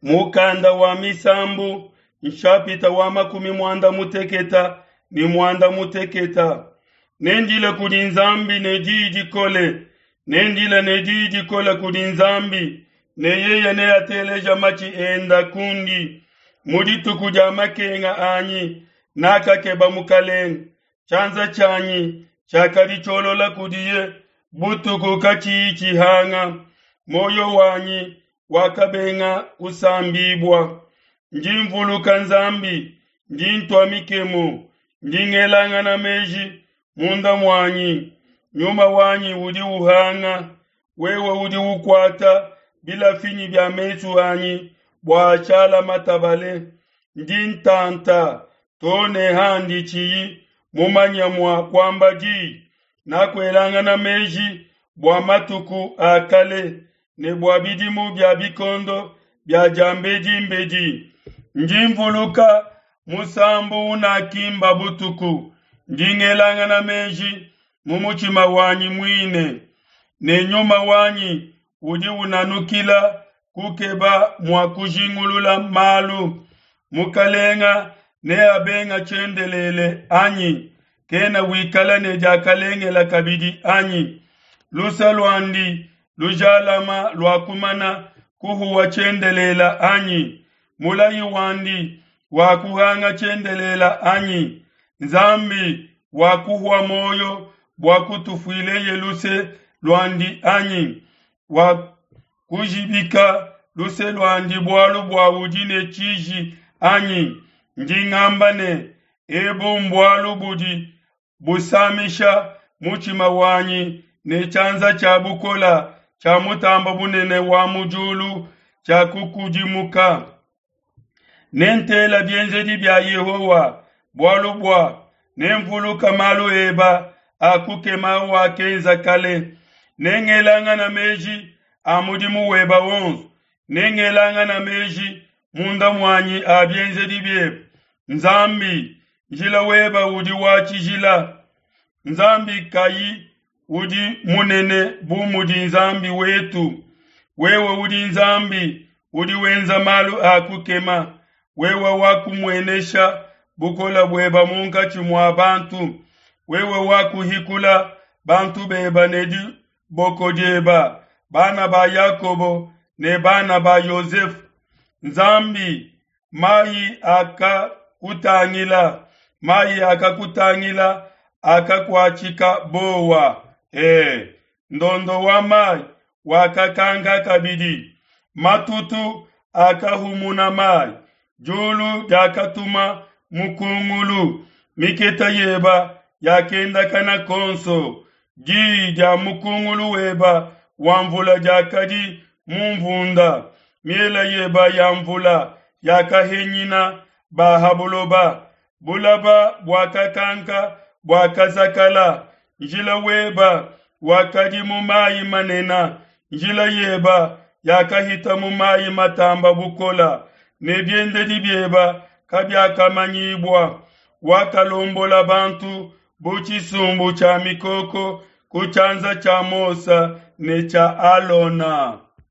Mukanda wa Misambu nshapita wa makumi muanda muteketa ne muanda muteketa. Nendile kudi Nzambi ne diyi dikole, nendile ne diyi dikole kudi Nzambi, ne yeye neateleja matshi enda kundi. Mu dituku dia makenga anyi nakakeba Mukalenge, tshianza tshianyi tshiakadi tshiolola kudiye butuku katshiyi tshihanga. Muoyo wanyi wakabenga kusambibua. Ndi mvuluka Nzambi, ndi ntua mikemu, ndi ngelangana meji munda muanyi. Nyuma wanyi udi uhanga, wewe udi ukuata bilafinyi bia mesu anyi bua ashala matabale. Ndi ntanta too ne handi tshiyi mumanye mua kuamba diyi. Nakuelangana meji bua matuku a kale ne bua bidimu bia bikondo bia diambedimbedi. Ndi mvuluka musambu unakimba butuku, ndi ngelangana meji mu mutshima wanyi muine, ne nyuma wanyi udi unanukila kukeba mua kujingulula malu. Mukalenga neabenga tshiendelele anyi? Kena wikala ne diakalengela kabidi anyi? Lusa luandi lujalama luakumana kuhuwa tshiendelela anyi? Mulayi wandi wakuhanga tshiendelela anyi? Nzambi wakuhua muoyo bua kutufuileye luse luandi anyi? Wakujibika luse luandi bualu bua udi ne tshiji anyi? Ndi ngamba ne, ebu mbualu budi busamisha mutshima wanyi ne tshianza tshia bukola tshia Mutamba Bunene wa mu diulu tshiakukudimuka. Nentela bienzedi bia Yehowa, bualu bua nemvuluka malu eba a kukema wakenza kale. Nengelangana meji a mudimu weba wonso, nengelangana meji munda muanyi a bienzedi biebe. Nzambi, njila weba udi wa tshijila. Nzambi kayi udi munene bu mudi Nzambi wetu? Wewe udi Nzambi udi wenza malu a kukema. Wewe wakumuenesha bukole bueba munkatshi mua bantu. Wewe wakuhikula bantu beba ne diboko dieba, bana ba Yakobo ne bana ba Yosefu. Nzambi, mayi akakutangila, mayi akakutangila akakuatshika bowa. E, ndondo wa mayi wakakanka kabidi, matutu akahumuna mayi, diulu diakatuma mukungulu, miketa yeba yakendakana konso, diyi dia mukungulu weba wa mvula diakadi mu mvunda, miela yeba ya mvula yakahenyina ba ha buloba, bulaba buakakanka buakazakala, njila weba wakadi mu mayi manene, njila yeba yakahita mu mayi matamba bukola, ne biendedi bieba kabiakamanyibua. Wakalombola bantu bu tshisumbu tshia mikoko ku tshianza tshia Mose ne tshia Alona.